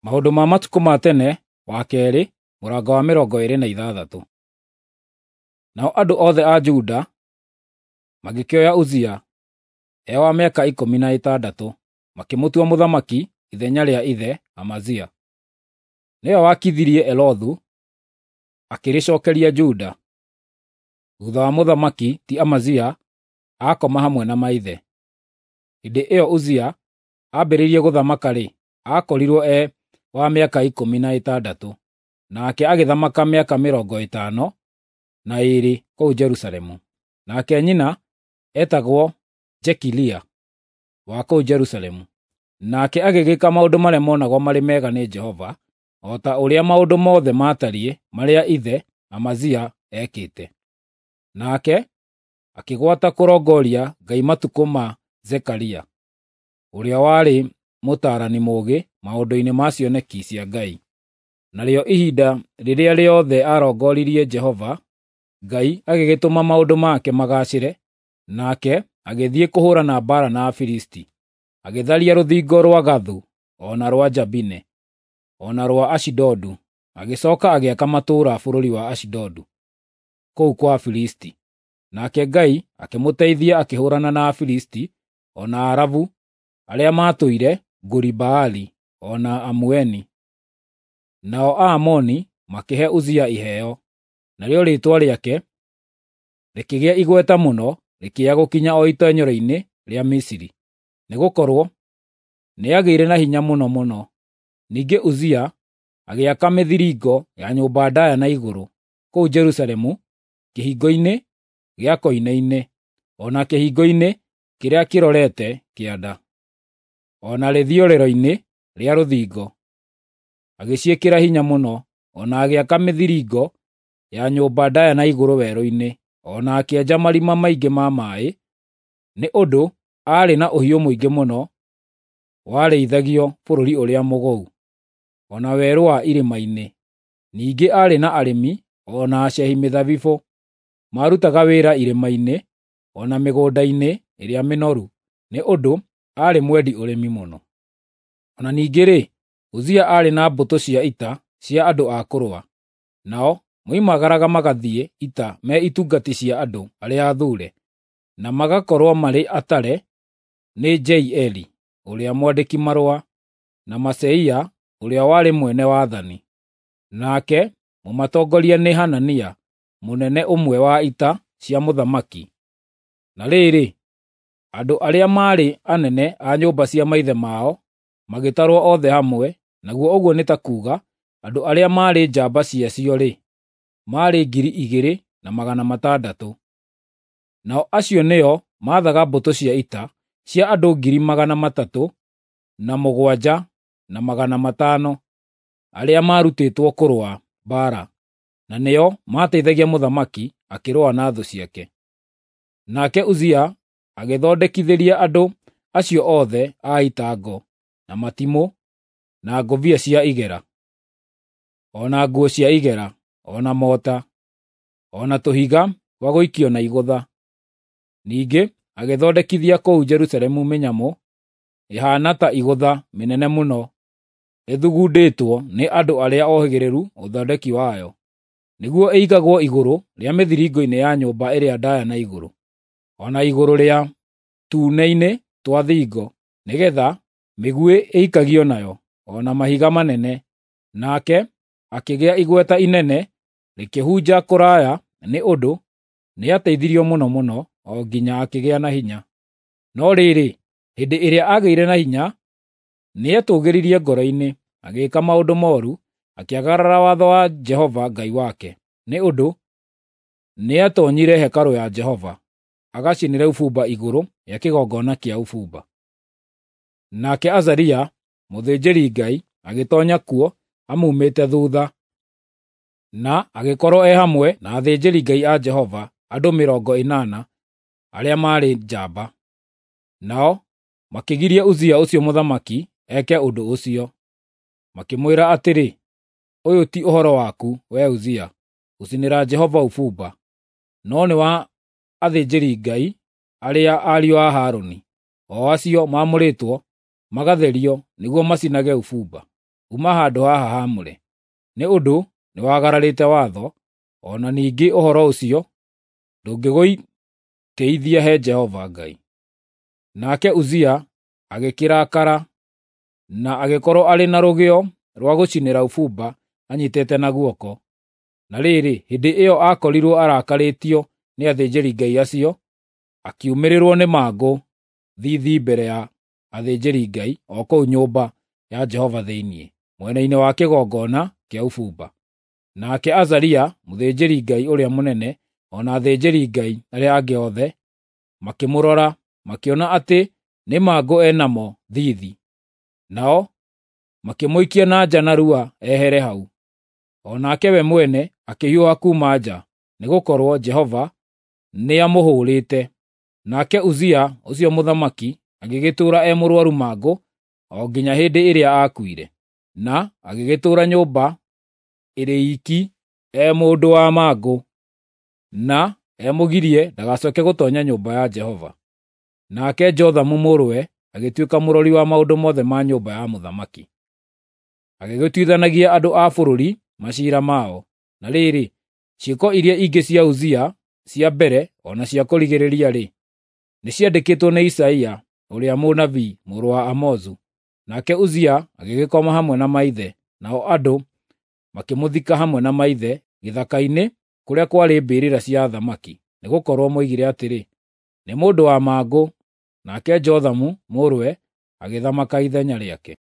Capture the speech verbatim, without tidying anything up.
Maũndũ ma matukũ ma tene wa keerĩ mũrango wa mĩrongo ĩĩrĩ na ithathatũ. Nao andũ othe a Juda magĩkĩoya Uzia, e wa mĩaka ikũmi na ĩtandatũ, makĩmũtua mũthamaki ithenya rĩa ithe Amazia. Nĩwe waakithirie Elothu, akĩrĩcookeria Juda, thuutha wa mũthamaki ti Amazia aakoma hamwe na maithe. Hĩndĩ ĩyo Uzia aambĩrĩirie gũthamaka-rĩ, aakorirwo e wa mĩaka ikũmi na ĩtandatũ, nake agĩthamaka mĩaka mĩrongo ĩtano na ĩĩrĩ kũu Jerusalemu. Nake nyina eetagwo Jekilia wa kũu Jerusalemu. Nake agĩgĩka maũndũ marĩa monagwo marĩ mega nĩ Jehova, o ta ũrĩa maũndũ mothe maatariĩ marĩa ithe Amazia eekĩte. Nake akĩgwata kũrongoria Ngai matukũ ma Zekaria, ũrĩa warĩ mũtaarani mũũgĩ maũndũ-inĩ ma cioneki cia Ngai. Narĩo ihinda rĩrĩa rĩothe aarongoririe Jehova, Ngai agĩgĩtũma maũndũ make magaacĩre, nake agĩthiĩ kũhũũrana mbaara na Afilisti, agĩtharia rũthingo rwa Gathu o na rwa Jabine, o na rwa Ashidodu, agĩcooka agĩaka matũũra bũrũri wa Ashidodu, kũu kwa Afilisti. Nake Ngai akĩmũteithia akĩhũũrana na Afilisti o na Arabu arĩa maatũire Guri-Baali o na Amueni. Nao Aamoni makĩhe Uzia iheo, narĩo rĩĩtwa rĩake rĩkĩgĩa igweta mũno rĩkĩya gũkinya o itoonyero-inĩ rĩa Misiri, nĩgũkorwo nĩagĩire na hinya mũno mũno. Ningĩ Uzia agĩaka mĩthiringo ya nyũmba ndaaya na igũrũ kũu Jerusalemu kĩhingo-inĩ gĩa koine-inĩ, o na kĩhingo-inĩ kĩrĩa kĩrorete kĩanda, o na rĩthiorero-inĩ rĩa rũthingo, agĩciĩkĩra hinya mũno, o na agĩaka mĩthiringo ya nyũmba ndaaya na igũrũ werũ-inĩ, o na akĩenja marima maingĩ ma maaĩ, nĩ ũndũ aarĩ na ũhiũ mũingĩ mũno warĩithagio bũrũri ũrĩa mũgũu, o na werũ wa irĩma-inĩ. Ningĩ aarĩ na arĩmi o na acehi mĩthabibũ, maarutaga wĩra irĩma-inĩ o na mĩgũnda-inĩ ĩrĩa mĩnoru, nĩ ũndũ aarĩ mwendi ũrĩmi mũno. O na ningĩ-rĩ, Uzia aarĩ na mbũtũ cia ita cia andũ a kũrũa, nao moimagaraga magathiĩ ita me itungati cia andũ arĩa athuure, na magakorwo marĩ atare nĩ Jeieli ũrĩa mwandĩki-marũa, na Maaseia ũrĩa warĩ mwene wathani. Nake mũmatongoria nĩ Hanania, mũnene ũmwe wa ita cia mũthamaki. Na rĩrĩ, andũ arĩa maarĩ anene a nyũmba cia maithe mao magĩtarwo othe hamwe, naguo ũguo nĩ ta kuuga andũ arĩa maarĩ njamba ciacio-rĩ, maarĩ ngiri igĩrĩ na magana matandatũ. Nao acio nĩo maathaga mbũtũ cia ita cia andũ ngiri magana matatũ na mũgwanja na magana matano arĩa maarutĩtwo kũrũa mbaara, na nĩo maateithagia mũthamaki akĩrũa na thũ ciake. Nake Uzia agĩthondekithĩria andũ acio othe a ita ngo, na matimũ, na ngũbia cia igera, o na nguo cia igera, o na mota, o na tũhiga twa gũikio na igũtha. Ningĩ agĩthondekithia kũu Jerusalemu mĩnyamũ ĩhaana ta igũtha mĩnene mũno ĩthugundĩtwo nĩ andũ arĩa ohĩgĩrĩru ũthondeki wayo, nĩguo ĩigagwo igũrũ rĩa mĩthiringo-inĩ ya nyũmba ĩrĩa ndaaya na igũrũ, o na igũrũ rĩa tuune-inĩ twa thingo, nĩgeetha mĩguĩ ĩikagio nayo, o na mahiga manene. Nake akĩgĩa igweta inene rĩkĩhunja kũraya nĩ ũndũ nĩateithirio mũno mũno o nginya akĩgĩa na hinya. No rĩrĩ, hĩndĩ ĩrĩa aagĩire na hinya, nĩetũũgĩririe ngoro-inĩ, agĩĩka maũndũ mooru, akĩagarara watho wa Jehova Ngai wake, nĩ ũndũ nĩatoonyire hekarũ ya Jehova, agacinĩre ũbumba igũrũ rĩa kĩgongona kĩa ũbumba. Nake Azaria mũthĩnjĩri-Ngai agĩtoonya kuo amuumĩte thuutha, na agĩkorwo e hamwe na athĩnjĩri-Ngai a Jehova andũ mĩrongo ĩnana arĩa maarĩ njamba. Nao makĩgiria Uzia ũcio mũthamaki eke ũndũ ũcio, makĩmwĩra atĩrĩ, “Ũyũ ti ũhoro waku, wee Uzia, gũcinĩra Jehova ũbumba, no nĩ wa athĩnjĩri-Ngai arĩa ariũ a Harũni, o acio maamũrĩtwo magatherio nĩguo macinage ũbumba.” Uma handũ haha haamũre, nĩ ũndũ nĩwagararĩte watho, o na ningĩ ũhoro ũcio ndũngĩgũtĩĩithia he Jehova Ngai. Nake Uzia agĩkĩrakara na agĩkorwo arĩ na rũgĩo rwa gũcinĩra ũbumba anyiitĩte na guoko. Na rĩrĩ, hĩndĩ ĩyo aakorirwo arakarĩtio nĩ athĩnjĩri-Ngai acio, akiumĩrĩrwo nĩ mangũ thiithi mbere ya athĩnjĩri-Ngai o kũu nyũmba ya Jehova thĩinĩ, mwena-inĩ wa kĩgongona kĩa ũbumba. Nake Azaria mũthĩnjĩri-Ngai ũrĩa mũnene o na athĩnjĩri-Ngai arĩa angĩ othe makĩmũrora, makĩona atĩ nĩ mangũ e namo thiithi. Nao makĩmũikia na nja narua ehere hau. O nake we mwene akĩhiũha kuuma nja, nĩgũkorwo Jehova nĩamũhũũrĩte. Nake Uzia ũcio mũthamaki agĩgĩtũũra e mũrũaru mangũ o nginya hĩndĩ ĩrĩa aakuire, na agĩgĩtũũra nyũmba ĩrĩ iiki e mũndũ wa mangũ, na emũgirie ndagacooke gũtoonya nyũmba ya Jehova. Nake Jothamu mũrũwe agĩtuĩka mũrori wa maũndũ mothe ma nyũmba ya mũthamaki. Agĩgĩtuithanagia andũ a bũrũri maciira mao. Na rĩrĩ, ciĩko iria ingĩ cia Uzia cia mbere o na cia kũrigĩrĩria-rĩ, nĩciandĩkĩtwo nĩ Isaia ũrĩa mũnabii mũrũ wa Amozu. Nake Uzia agĩgĩkoma hamwe na maithe, nao andũ makĩmũthika hamwe na maithe gĩthaka-inĩ kũrĩa kwarĩ mbĩrĩra cia athamaki, nĩgũkorwo moigire atĩrĩ, “Nĩ mũndũ wa mangũ.” Nake Jothamu mũrũwe agĩthamaka ithenya rĩake.